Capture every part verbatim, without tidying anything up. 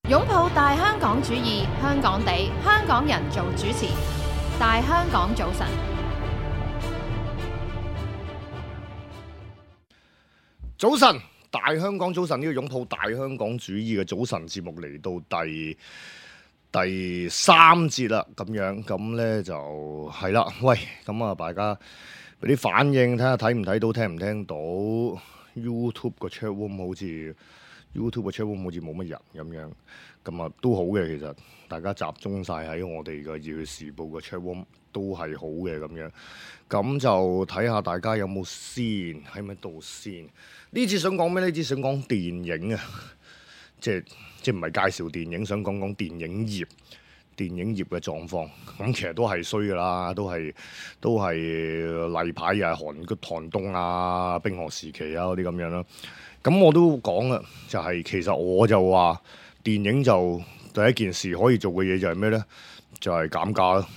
擁抱大香港主義，香港地，香港人做主持。大香港早晨，早晨，大香港早晨，呢個擁抱大香港主義嘅早晨節目嚟到第第三節啦，咁樣咁呢就係啦。喂，咁啊，大家俾啲反應，睇下睇唔睇到，聽唔聽到 YouTube 個 chat room 好似。YouTube 嘅 chat room 好似冇乜人咁樣，咁啊都好嘅，其實大家集中晒喺我哋嘅《熱血時報》嘅 chat room 都係好嘅咁樣，咁就睇下大家有冇先喺咪度先。呢次想講咩？呢次想講電影啊，即係即係唔係介紹電影，想講講電影業。電影業嘅狀況，咁其實都係衰噶啦，都係都係例牌又係韓嘅寒冬啊、冰河時期啊嗰啲咁樣啦。咁我都講啦，就係、是、其實我就話電影就第一件事可以做嘅嘢就係咩咧？就係、是、減價啦，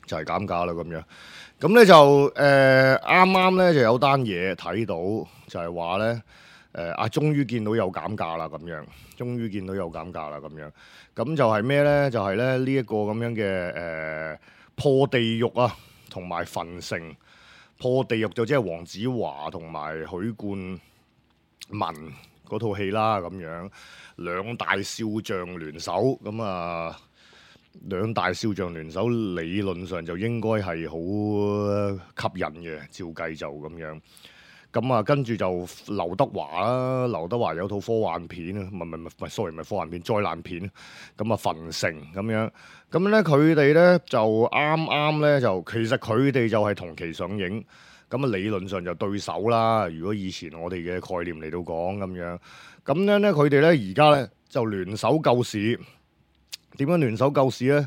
就係、是、減價啦咁樣。咁咧就誒啱啱咧就有單嘢睇到，就係話咧誒啊，終於見到有減價啦咁樣，終於見到有減價啦咁樣。咁就係咩咧？就係咧呢一個咁樣嘅誒、呃、破地獄啊，同埋焚城。破地獄就即係黃子華同埋許冠文嗰套戲啦，咁樣兩大少將聯手，咁啊兩大少將聯手理論上就應該係好吸引嘅，照計就咁樣。咁啊，跟住就劉德華啦，劉德華有套科幻片啊，唔係唔係唔係，sorry 唔係科幻片，災難片。咁啊，焚城咁樣，咁咧佢哋咧就啱啱咧就其實佢哋就係同期上映，咁啊理論上就對手啦。如果以前我哋嘅概念嚟到講咁樣，咁樣咧佢哋咧而家咧就聯手救市。點樣聯手救市咧？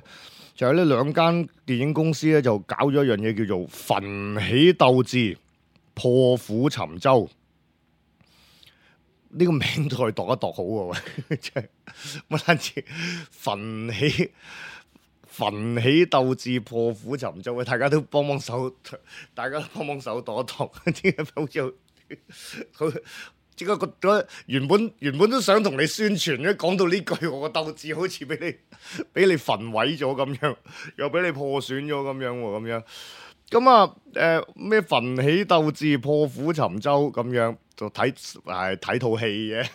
就係呢兩間電影公司咧就搞咗一樣嘢叫做焚起鬥智。破釜沉舟呢、這個名都係度一度好喎，即係乜單詞焚起焚起鬥志破釜沉舟，大家都幫幫手，大家都幫幫手度一度，點解好似好？點解覺得原本原本都想同你宣傳咧，講到呢句，我個鬥志好似俾你俾你焚毀咗咁樣，又俾你破損咗咁樣喎，咁樣。咁啊，誒咩焚起鬥志破釜沉舟咁樣就睇係睇套戲嘅，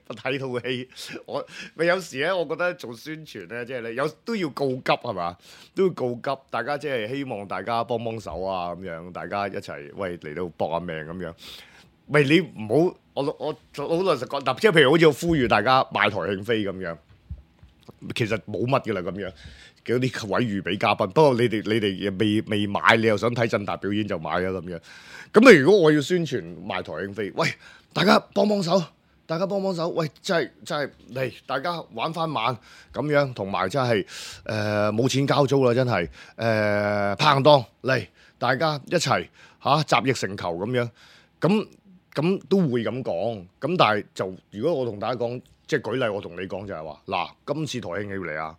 睇套戲我咪有時咧，我覺得做宣傳咧，即係你有都要告急係嘛，都要告急，大家即係希望大家幫幫手啊咁樣，大家一齊喂嚟到搏下命咁樣。喂，你唔好我我好老實講，嗱，即係譬如好似我呼籲大家買台慶飛咁樣，其實冇乜嘅啦咁樣。嗰啲位預備嘉賓，不過你哋你哋未未買，你又想睇振達表演就買啊咁樣。咁你如果我要宣傳賣台慶飛，喂，大家幫幫手，大家幫幫手，喂，真係真係嚟，大家玩翻晚咁樣，同埋真係誒冇錢交租啦，真係誒拍檔嚟，大家一齊嚇集腋成裘咁樣，咁咁都會咁講。咁但係就如果我同大家講，即係舉例，我同你講就係話，嗱，今次台慶要嚟啊！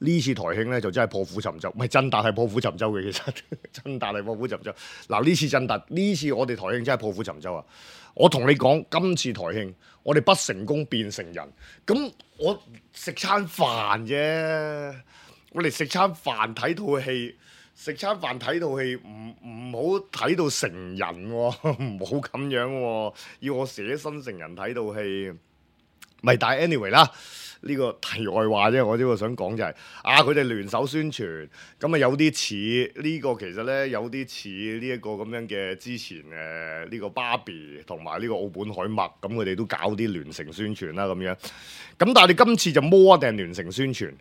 呢次台慶咧就真係破釜沉舟，唔係振達係破釜沉舟嘅，其實振達係破釜沉舟。嗱，呢次振達，呢次我哋台慶真係破釜沉舟啊！我同你講，今次台慶我哋不成功變成人，咁我食餐飯啫，我哋食餐飯睇套戲，食餐飯睇套戲，唔唔好睇到成人喎、哦，唔好咁樣喎、哦，要我捨身成人睇套戲，咪但係 anyway 啦。呢個題外話啫，我呢個想講就係、是、啊，佢哋聯手宣傳，咁啊有啲似呢個其實咧有啲似呢一個咁樣嘅之前誒呢、呃這個芭比同埋呢個奧本海默，咁佢哋都搞啲聯城宣傳啦咁樣。咁但係你今次就摸定聯城宣傳，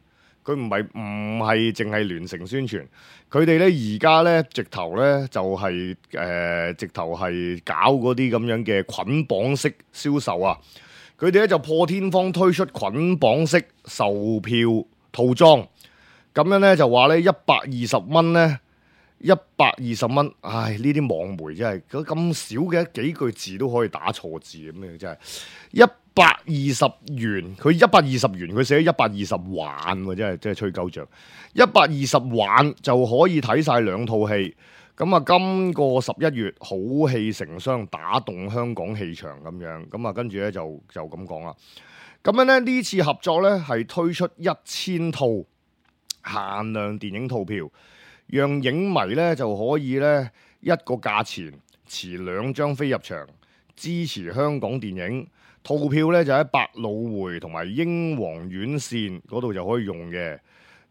佢唔係唔係淨係聯城宣傳，佢哋咧而家咧直頭咧就係、是、誒、呃、直頭係搞嗰啲咁樣嘅捆綁式銷售啊！佢哋咧就破天荒推出捆綁式售票套裝，咁樣咧就話咧一百二十蚊咧，一百二十蚊，唉呢啲網媒真係咁少嘅幾句字都可以打錯字咁樣，真係一百二十元，佢一百二十元，佢寫咗一百二十環喎，真係真係吹鳩脹，一百二十環就可以睇晒兩套戲。咁啊，今個十一月好戲成雙，打動香港戲場咁樣，咁啊，跟住咧就就咁講啦。咁樣咧呢次合作咧係推出一千套限量電影套票，讓影迷咧就可以咧一個價錢持兩張飛入場，支持香港電影。套票咧就喺百老匯同埋英皇院線嗰度就可以用嘅。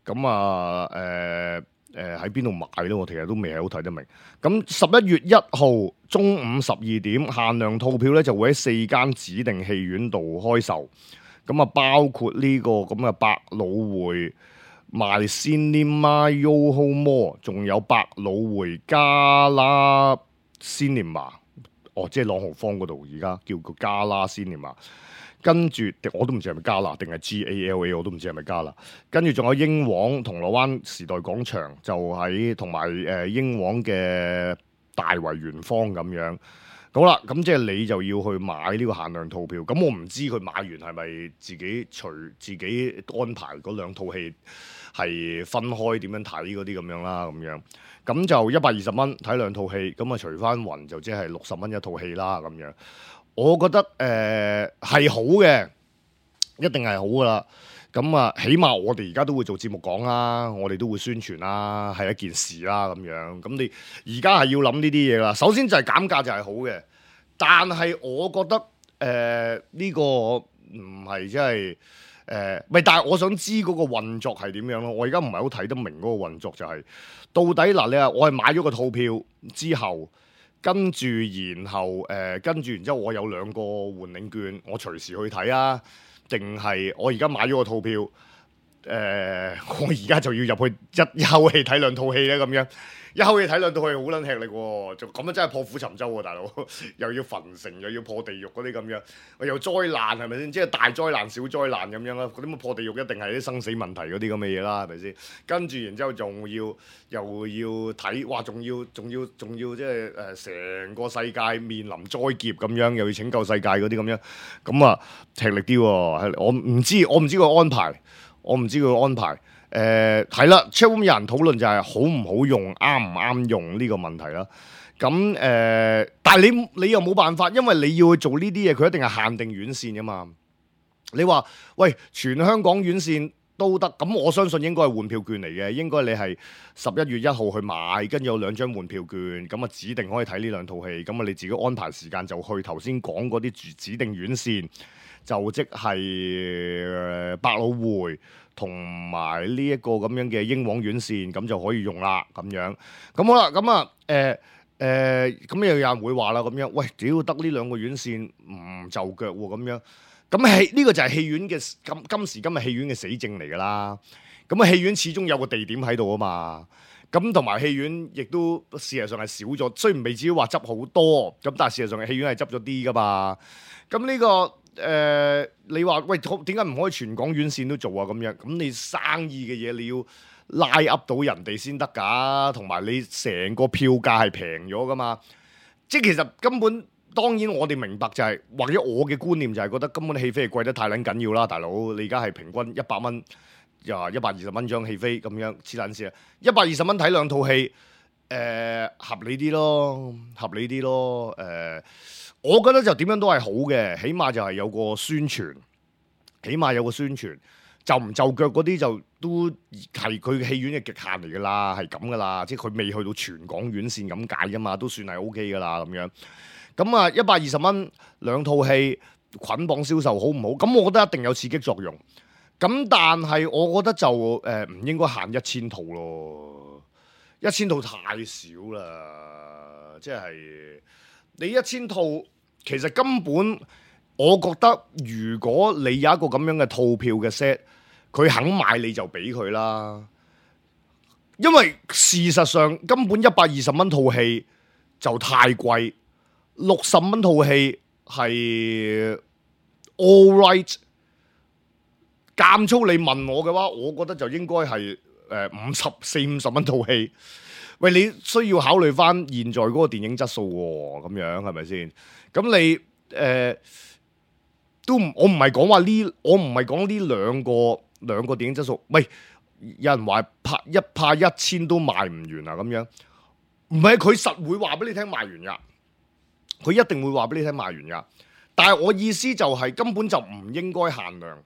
咁啊誒誒喺邊度買咧？我其實都未係好睇得明。咁十一月一號中午十二點限量套票咧就會喺四間指定戲院度開售。咁啊包括呢個咁嘅百老匯My Cinema Yoho Mall，仲有百老匯加拉 Cinema。哦，即係朗豪坊嗰度，而家叫個加拉 Cinema。跟住我都唔知係咪加拿定係 G A L A， 我都唔知係咪加拿。跟住仲有英皇銅鑼灣時代廣場，就喺同埋誒英皇嘅大圍圓方咁樣。好啦，咁即係你就要去買呢個限量套票。咁我唔知佢買完係咪自己隨自己安排嗰兩套戲係分開點樣睇嗰啲咁樣啦，咁樣。咁就一百二十蚊睇兩套戲，咁啊除翻勻就即係六十蚊一套戲啦，咁樣。我覺得誒係、呃、好嘅，一定係好噶啦。咁啊，起碼我哋而家都會做節目講啦，我哋都會宣傳啦，係一件事啦咁樣。咁你而家係要諗呢啲嘢啦。首先就係減價就係好嘅，但係我覺得誒呢、呃呢個唔係即係誒，咪、呃、但係我想知嗰個運作係點樣咯。我而家唔係好睇得明嗰個運作就係、是、到底嗱、呃，你話我係買咗個套票之後。跟住，然後誒、呃，跟住，然之後，我有兩個換領券，我隨時去睇啊。定係我而家買咗個套票，誒、呃，我而家就要入去一口氣睇兩套戲咧，咁樣一口氣睇兩套戲好撚吃力喎，就咁樣真係破釜沉舟喎，大佬又要焚城，又要破地獄嗰啲咁樣，又災難係咪先？即係大災難、小災難咁樣啦。嗰啲乜破地獄一定係啲生死問題嗰啲咁嘅嘢啦，係咪先？跟住然之後仲要又要睇，哇！仲要仲要仲要即係誒成個世界面臨災劫咁樣，又要拯救世界嗰啲咁樣，咁啊吃力啲喎。我唔知，我唔知佢安排，我唔知佢安排。誒係啦 chatroom 有人討論就係好唔好用，啱唔啱用呢個問題啦。咁誒、呃，但係你你又冇辦法，因為你要去做呢啲嘢，佢一定係限定院線噶嘛。你話喂，全香港院線都得，咁我相信應該係換票券嚟嘅，應該你係十一月一號去買，跟住有兩張換票券，咁啊指定可以睇呢兩套戲，咁啊你自己安排時間就去頭先講嗰啲指定院線，就即係百老匯。同埋呢一個咁樣嘅英皇院線，咁就可以用啦，咁樣。咁好啦，咁啊，誒、呃、誒，咁、呃、又有人會話啦，咁樣，喂，屌得呢兩個院線唔就腳喎，咁樣。咁戲呢個就係戲院嘅今今時今日戲院嘅死症嚟㗎啦。咁啊，戲院始終有個地點喺度啊嘛。咁同埋戲院亦都事實上係少咗，雖然未至於話執好多，咁但係事實上戲院係執咗啲㗎嘛。咁呢、呢個。誒、呃，你話喂，點解唔可以全港院線都做啊？咁樣，咁你生意嘅嘢你要拉 up 到人哋先得㗎，同埋你成個票價係平咗㗎嘛？即係其實根本，當然我哋明白就係、是，或者我嘅觀念就係覺得根本戲飛係貴得太撚緊要啦，大佬！你而家係平均一百蚊，又話一百二十蚊張戲飛咁樣黐撚線啊！一百二十蚊睇兩套戲，誒、呃、合理啲咯，合理啲咯，誒、呃。我覺得就點樣都係好嘅，起碼就係有個宣傳，起碼有個宣傳，就唔就腳嗰啲就都係佢戲院嘅極限嚟㗎啦，係咁㗎啦，即係佢未去到全港院線咁解㗎嘛，都算係 O K 㗎啦咁樣。咁啊，一百二十蚊兩套戲捆綁銷售好唔好？咁我覺得一定有刺激作用。咁但係我覺得就誒唔、呃、應該限一千套咯，一千套太少啦，即係。你一千套，其實根本我覺得，如果你有一個咁樣嘅套票嘅 set，佢肯買你就俾佢啦。因為事實上根本一百二十蚊套戲就太貴，六十蚊套戲係 all right。監粗你問我嘅話，我覺得就應該係誒五十四五十蚊套戲。喂，你需要考慮翻現在嗰個電影質素喎，咁樣係咪先？咁你誒、呃、都唔，我唔係講話呢，我唔係講呢兩個兩個電影質素。喂，有人話拍一拍一千都賣唔完啊，咁樣唔係佢實會話俾你聽賣完㗎，佢一定會話俾你聽賣完㗎。但係我意思就係根本就唔應該限量，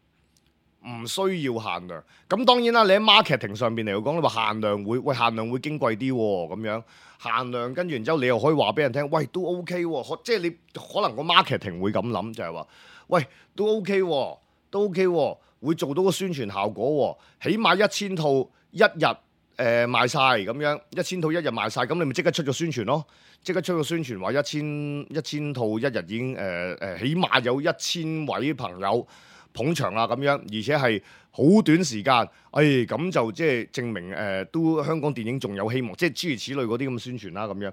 唔需要限量。咁當然啦，你喺 marketing 上邊嚟講，你話限量會喂限量會矜貴啲喎，咁樣限量跟住然之後你又可以話俾人聽，喂都 OK 喎，即係你可能個 marketing 會咁諗，就係話喂都 OK 喎，都 OK 喎，會做到個宣傳效果喎，起碼一千套一日誒、呃、賣晒咁樣，一千套一日賣晒，咁你咪即刻出咗宣傳咯。即刻出個宣傳話一千一千套一日已經誒誒、呃，起碼有一千位朋友捧場啦咁樣，而且係好短時間，誒咁就即係證明誒、呃、都香港電影仲有希望，即係諸如此類嗰啲咁嘅宣傳啦咁樣。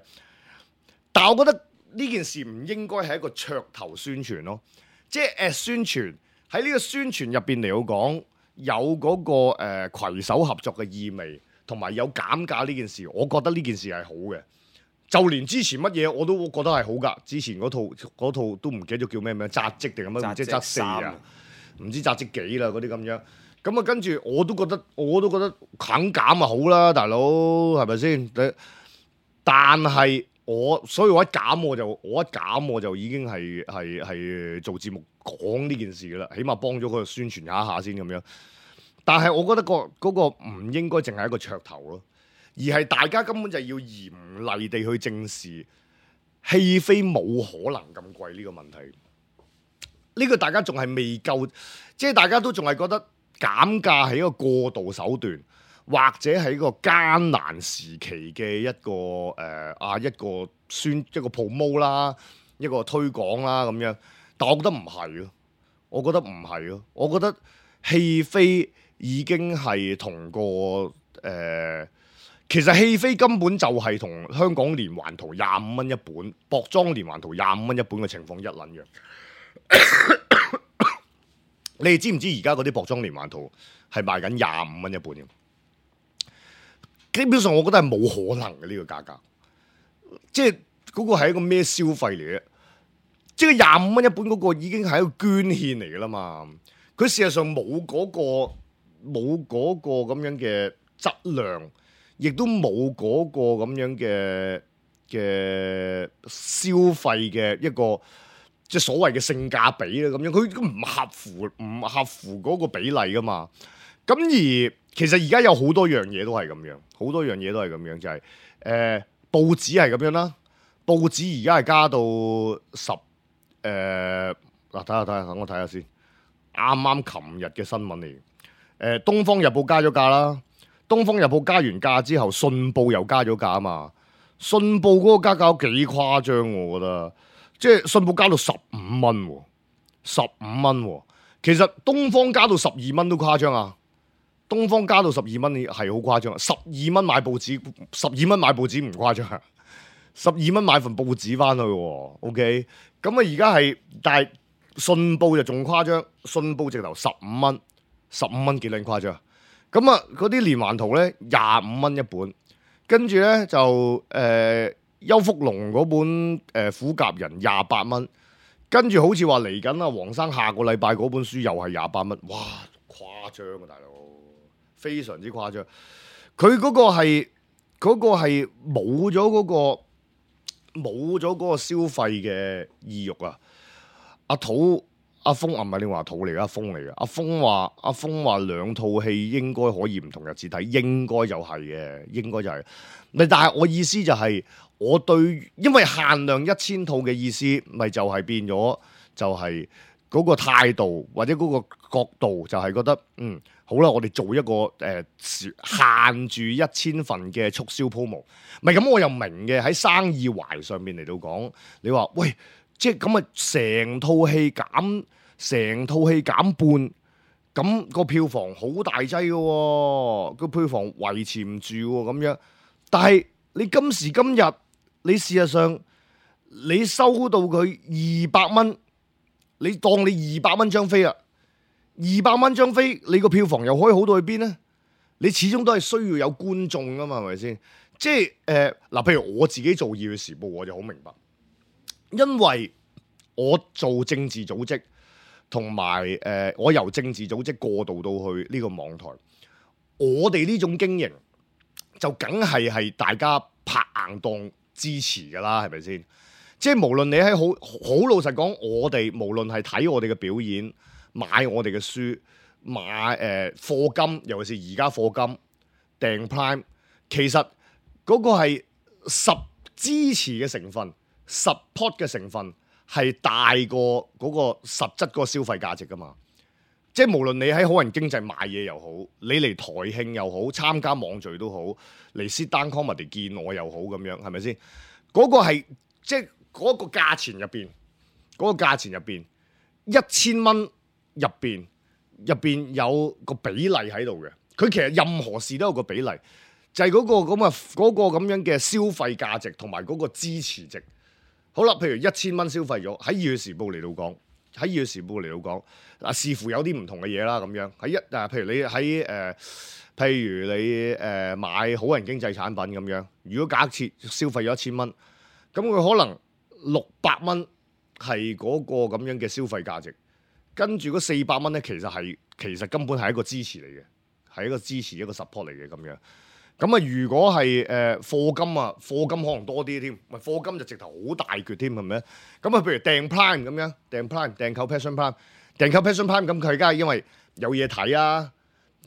但係我覺得呢件事唔應該係一個噱頭宣傳咯，即係誒宣傳喺呢個宣傳入邊嚟講有嗰、那個誒、呃、攜手合作嘅意味，同埋有減價呢件事，我覺得呢件事係好嘅。就連之前乜嘢我都覺得係好㗎，之前嗰套嗰套都唔記得咗叫咩名，紮職定係乜？唔知紮四啊，唔知紮職幾啦嗰啲咁樣。咁啊跟住我都覺得我都覺得肯減啊好啦，大佬係咪先？但係我所以我一減我就我一減我就已經係係係做節目講呢件事㗎啦，起碼幫咗佢宣傳一下先咁樣。但係我覺得、嗰個嗰、嗰個唔應該淨係一個噱頭咯。而係大家根本就要嚴厲地去正視戲飛冇可能咁貴呢個問題。呢個大家仲係未夠，即係大家都仲係覺得減價係一個過渡手段，或者係一個艱難時期嘅一個誒啊一個宣一個 promo 啦，一個推廣啦咁樣。但我覺得唔係咯，我覺得唔係咯，我覺得戲飛已經係同個誒。呃其實戲飛根本就係同香港連環圖廿五蚊一本，薄裝連環圖廿五蚊一本嘅情況一撚樣。你哋知唔知而家嗰啲薄裝連環圖係賣緊廿五蚊一本嘅？基本上我覺得係冇可能嘅呢、這個價格，即係嗰個係一個咩消費嚟嘅？即係廿五蚊一本嗰個已經係一個捐獻嚟㗎啦嘛。佢事實上冇嗰、那個冇嗰個咁樣嘅質量。亦都冇嗰個咁樣嘅嘅消費嘅一個即係所謂嘅性價比啦，咁樣佢都唔合乎唔合乎嗰個比例噶嘛。咁而其實而家有好多樣嘢都係咁樣，好多樣嘢都係咁樣，就係、是、誒、呃、報紙係咁樣啦。報紙而家係加到十誒嗱，睇下睇下，等我睇下先。啱啱琴日嘅新聞嚟，誒、呃《東方日報》加咗價啦。《東方日報》加完價之後，《信報》又加咗價啊嘛！《信報》嗰個加價幾誇張，我覺得，即係《信報》加到十五蚊，十五蚊。其實《東方》加到十二蚊都誇張啊！《東方》加到十二蚊係好誇張，十二蚊買報紙，十二蚊買報紙唔誇張，十二蚊買份報紙翻去。OK，咁啊而家係，但係《信報》就仲誇張，《信報》直頭十五蚊，十五蚊幾撚誇張？咁啊，嗰啲連環圖咧廿五蚊一本，跟住咧就誒、呃、邱福龍嗰本誒《虎甲人》廿八蚊，跟住好似話嚟緊啊，黃生下個禮拜嗰本書又係廿八蚊，哇誇張啊大佬，非常之誇張。佢嗰個係嗰、嗰個係冇咗嗰個冇咗嗰個消費嘅意欲啊！阿土。阿峰啊，唔係你話土嚟噶，阿峰嚟噶。阿峰話，阿峰話兩套戲應該可以唔同日子睇，應該就係嘅，應該就係、是。咪但係我意思就係、是，我對因為限量一千套嘅意思，咪就係變咗，就係嗰個態度或者嗰個角度，就係覺得嗯好啦，我哋做一個誒、呃、限住一千份嘅促銷 promo。咪咁我又明嘅，喺生意懷上面嚟到講，你話喂。即係咁啊！成套戲減，成套戲減半，咁個票房好大劑嘅喎，個票房維持唔住喎咁樣。但係你今時今日，你事實上你收到佢二百蚊，你當你二百蚊張飛啊，二百蚊張飛，你個票房又可以好到去邊呢？你始終都係需要有觀眾㗎嘛，係咪先？即係誒嗱，譬如我自己做《熱血時報》，我就好明白。因為我做政治組織，同埋誒我由政治組織過渡到去呢個網台，我哋呢種經營就梗係係大家拍硬檔支持㗎啦，係咪先？即係無論你喺好好老實講，我哋無論係睇我哋嘅表演、買我哋嘅書、買誒課金，尤其是而家課金訂 Prime， 其實嗰個係十支持嘅成分、support 嘅成分係大過嗰個實質嗰個消費價值噶嘛。即係無論你喺好人經濟買嘢又好，你嚟台慶又好，參加網聚都好，嚟 sit down comedy 見我又好咁樣，係咪先？嗰、嗰個係即係嗰個價錢入邊，嗰、嗰個價錢入邊一千蚊入邊入邊有個比例喺度嘅。佢其實任何事都有個比例，就係、係、嗰、嗰個咁啊嗰個咁樣嘅消費價值同埋嗰個支持值。好啦，譬如一千蚊消費咗，喺《二月時報》嚟到講。喺《二月時報》嚟到講，嗱視乎有啲唔同嘅嘢啦，咁樣喺一誒，譬如你喺誒、呃，譬如你誒、呃、買好人經濟產品咁樣，如果假設消費咗一千蚊，咁佢可能六百蚊係嗰個咁樣嘅消費價值，跟住嗰四百蚊咧，其實係其實根本係一個支持嚟嘅，係一個支持一個 support 嚟嘅咁樣。咁啊，如果係誒課金啊，課金可能多啲添，咪課金就直頭好大橛添，係咪？咁啊，譬如訂 Prime 咁樣，訂 Prime 訂購 Passion Prime， 訂購 Passion Prime， 咁佢而家係因為有嘢睇啊，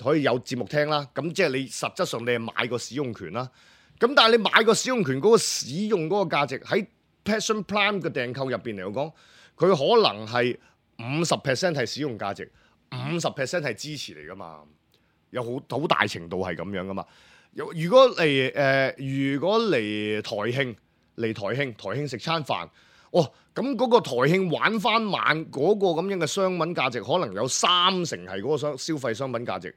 可以有節目聽啦，咁即係你實質上你係買個使用權啦。咁但係你買個使用權嗰個使用嗰個價值喺 Passion Prime 嘅訂購入邊嚟講，佢可能係五十 percent 係使用價值，五十 percent 係支持嚟噶嘛，有好好大程度係咁樣噶嘛。如果嚟誒、呃，如果嚟台慶，嚟台慶，台慶食餐飯，哦，咁嗰個台慶玩翻晚嗰個咁樣嘅商品價值，可能有三成係嗰個商消費商品價值，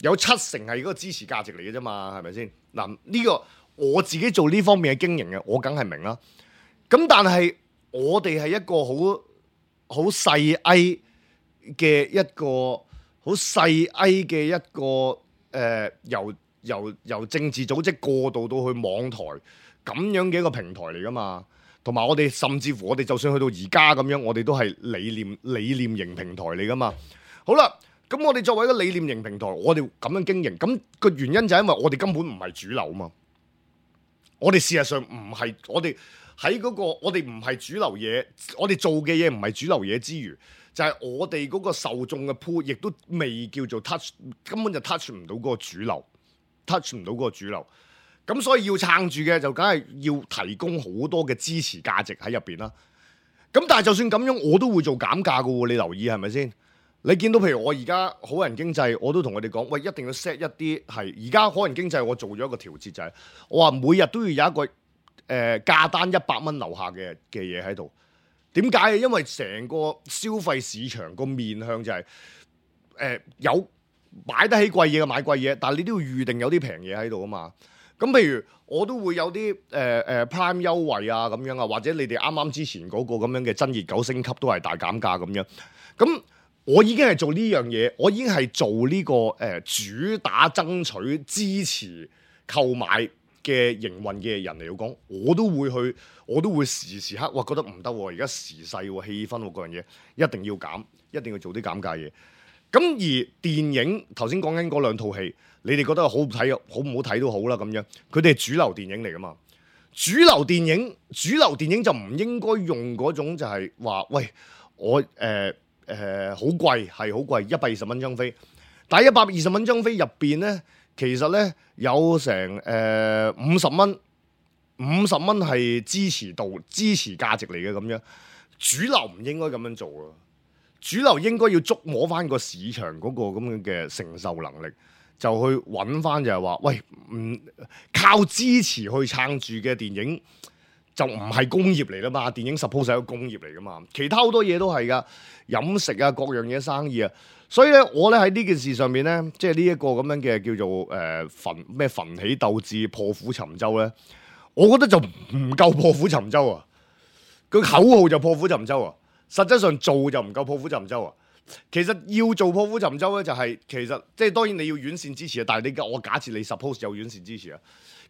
有七成係嗰個支持價值嚟嘅啫嘛，係咪先？嗱，呢、這個我自己做呢方面嘅經營嘅，我梗係明啦。咁但係我哋係一個好好細 A 嘅一個好細 A 嘅一個誒、呃、由。由由政治組織過渡到去網台咁樣嘅一個平台嚟噶嘛，同埋我哋甚至乎我哋就算去到而家咁樣，我哋都係理念理念型平台嚟噶嘛。好啦，咁我哋作為一個理念型平台，我哋咁樣經營，咁個原因就係因為我哋根本唔係主流嘛。我哋事實上唔係，我哋喺嗰個我哋唔係主流嘢，我哋做嘅嘢唔係主流嘢之餘，就係、是、我哋嗰個受眾嘅 pool 亦都未叫做 touch，根本就 touch 唔到嗰個主流。touch 唔到嗰個主流，咁所以要撐住嘅就梗係要提供好多嘅支持價值喺入邊啦。咁但係就算咁樣，我都會做減價㗎喎。你留意係咪先？你見到譬如我而家好人經濟，我都同佢哋講，喂，一定要 set 一啲係而家好人經濟，我做咗一個調節就係、是，我話每日都要有一個誒、呃、價單一百蚊樓下嘅嘅嘢喺度。點解？因為成個消費市場個面向就係、是、誒、呃、有。買得起貴嘢嘅買貴嘢，但係你都要預定有啲平嘢喺度啊嘛。咁譬如我都會有啲誒誒 Prime 優惠啊咁樣啊，或者你哋啱啱之前嗰個咁樣嘅真熱九升級都係大減價咁樣。咁我已經係做呢樣嘢，我已經係做呢、這個誒、呃、主打爭取支持購買嘅營運嘅人嚟講，我都會去，我都會時時刻哇覺得唔得喎，而家時勢喎、氣氛喎嗰樣嘢一定要減，一定要做啲減價嘢。咁而電影頭先講緊嗰兩套戲，你哋覺得好唔睇，好唔好睇都好啦咁樣。佢哋係主流電影嚟噶嘛？主流電影，主流電影就唔應該用嗰種就係話，喂，我誒誒好貴，係好貴，一百二十蚊張飛。但係一百二十蚊張飛入邊咧，其實咧有成誒五十蚊，五十蚊係支持度、支持價值嚟嘅咁樣。主流唔應該咁樣做啊！主流應該要捉摸翻個市場嗰個咁樣嘅承受能力，就去揾翻就係話，喂，唔靠支持去撐住嘅電影就唔係工業嚟啦嘛，電影 suppose 係一個工業嚟噶嘛，其他好多嘢都係噶，飲食啊各樣嘢生意啊，所以咧我咧喺呢件事上面咧，即係呢一個咁樣嘅叫做誒奮咩奮起鬥志破釜沉舟咧，我覺得就唔夠破釜沉舟啊，佢口號就破釜沉舟啊。實際上做就唔夠破釜沉舟啊！其實要做破釜沉舟咧，就係、是、其實即係當然你要院線支持啊。但係你我假設你 suppose 有院線支持啊，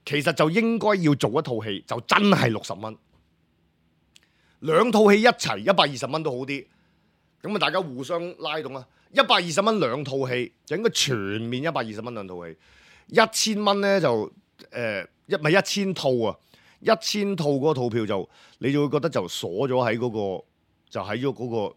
其實就應該要做一套戲，就真係六十蚊，兩套戲一齊一百二十蚊都好啲。咁啊，大家互相拉動啊！一百二十蚊兩套戲就應該全面一百二十蚊兩套戲，一千蚊咧就誒一咪一千套啊！一千套嗰個套票就你就會覺得就鎖咗喺嗰個就喺咗嗰個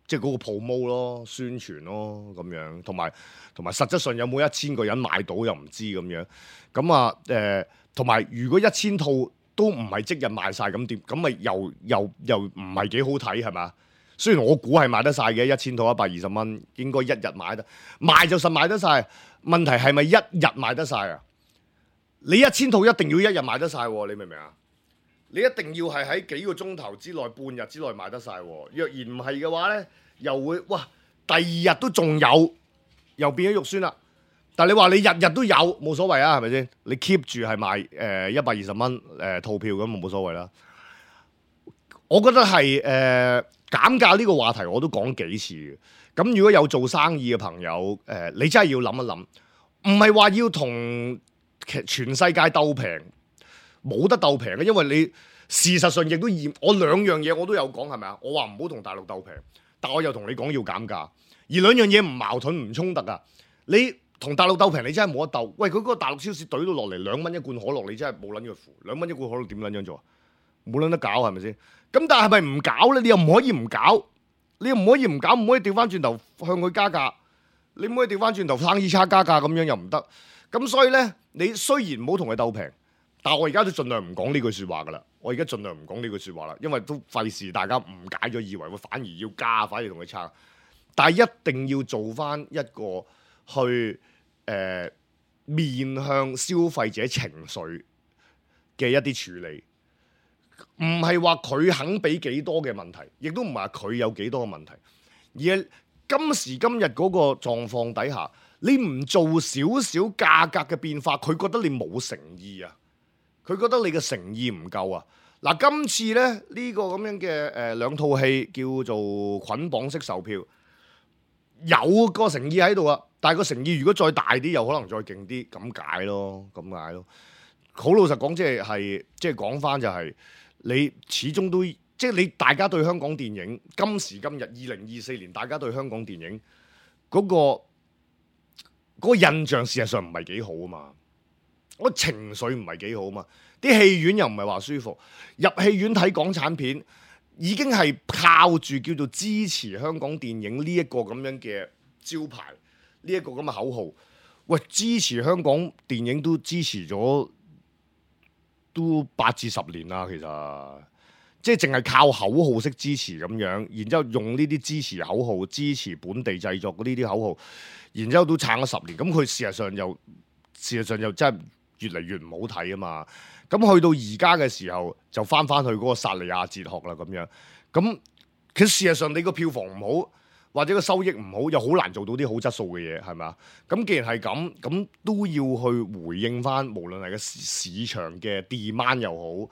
即係嗰個 promo 咯、宣傳咯咁樣，同埋同埋實質上有冇一千個人買到又唔知咁樣。咁啊誒，同、呃、埋如果一千套都唔係即日賣晒咁點？咁咪又又又唔係幾好睇係嘛？雖然我估係賣得晒嘅，一千套一百二十蚊，應該一日買得賣就實賣得晒。問題係咪一日賣得晒啊？你一千套一定要一日賣得晒，你明唔明啊？你一定要係喺幾個鐘頭之內、半日之內賣得晒。若然唔係嘅話咧，又會哇第二日都仲有，又變咗肉酸啦。但係你話你日日都有冇所謂啊？係咪先？你 keep 住係賣誒一百二十蚊誒套票咁，冇所謂啦。我覺得係誒、呃、減價呢個話題我都講幾次嘅。咁如果有做生意嘅朋友誒、呃，你真係要諗一諗，唔係話要同全世界鬥平，冇得鬥平嘅，因為你事實上亦都驗我兩樣嘢我都有講係咪啊？我話唔好同大陸鬥平，但我又同你講要減價，而兩樣嘢唔矛盾唔衝突啊！你同大陸鬥平，你真係冇得鬥。喂，佢嗰個大陸超市懟到落嚟兩蚊一罐可樂，你真係冇撚藥符。兩蚊一罐可樂點撚樣做啊？冇撚得搞係咪先？咁但係咪唔搞咧？你又唔可以唔搞，你又唔可以唔搞，唔可以調翻轉頭向佢加價。你唔可以調翻轉頭生意差加價咁樣又唔得。咁所以咧，你雖然唔好同佢鬥平，但係我而家都盡量唔講呢句説話噶啦。我而家盡量唔講呢句説話啦，因為都費事大家誤解咗，以為會反而要加，反而同佢差。但係一定要做翻一個去誒、呃、面向消費者情緒嘅一啲處理，唔係話佢肯俾幾多嘅問題，亦都唔係話佢有幾多嘅問題，而係今時今日嗰個狀況底下，你唔做少少價格嘅變化，佢覺得你冇誠意啊，佢覺得你嘅誠意唔夠啊。嗱，今次咧呢、呢個咁樣嘅誒、呃、兩套戲叫做捆綁式售票。有個誠意喺度啊，但係個誠意如果再大啲，又可能再勁啲，咁解咯，咁解咯。好老實講，即係係即係講翻就係、是、你始終都即係你大家對香港電影今時今日二零二四年，大家對香港電影嗰、嗰個嗰個印象事實上唔係幾好啊嘛，個情緒唔係幾好啊嘛，啲戲院又唔係話舒服，入戲院睇港產片。已經係靠住叫做支持香港電影呢一個咁樣嘅招牌，呢一個咁嘅口號。喂，支持香港電影都支持咗都八至十年啦，其實即係淨係靠口號式支持咁樣，然之後用呢啲支持口號支持本地製作嗰呢啲口號，然之後都撐咗十年。咁佢事實上又事實上又真係越嚟越唔好睇啊嘛。咁去到而家嘅時候，就翻翻去嗰個薩利亞哲學啦，咁樣。咁其實事實上你個票房唔好，或者個收益唔好，又好難做到啲好質素嘅嘢，係咪啊？咁既然係咁，咁都要去回應翻，無論係個市場嘅 demand 又好，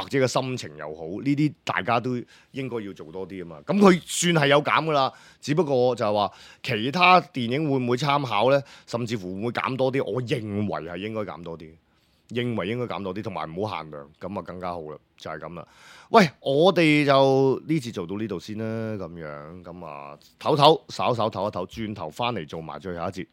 或者個心情又好，呢啲大家都應該要做多啲啊嘛。咁佢算係有減噶啦，只不過就係話其他電影會唔會參考呢？甚至乎會唔會減多啲？我認為係應該減多啲。認為應該減多啲，同埋唔好限量，咁啊更加好啦，就係咁啦。喂，我哋就呢次做到呢度先啦，咁樣咁啊，唞唞，稍稍唞一唞，轉頭翻嚟做埋最後一節。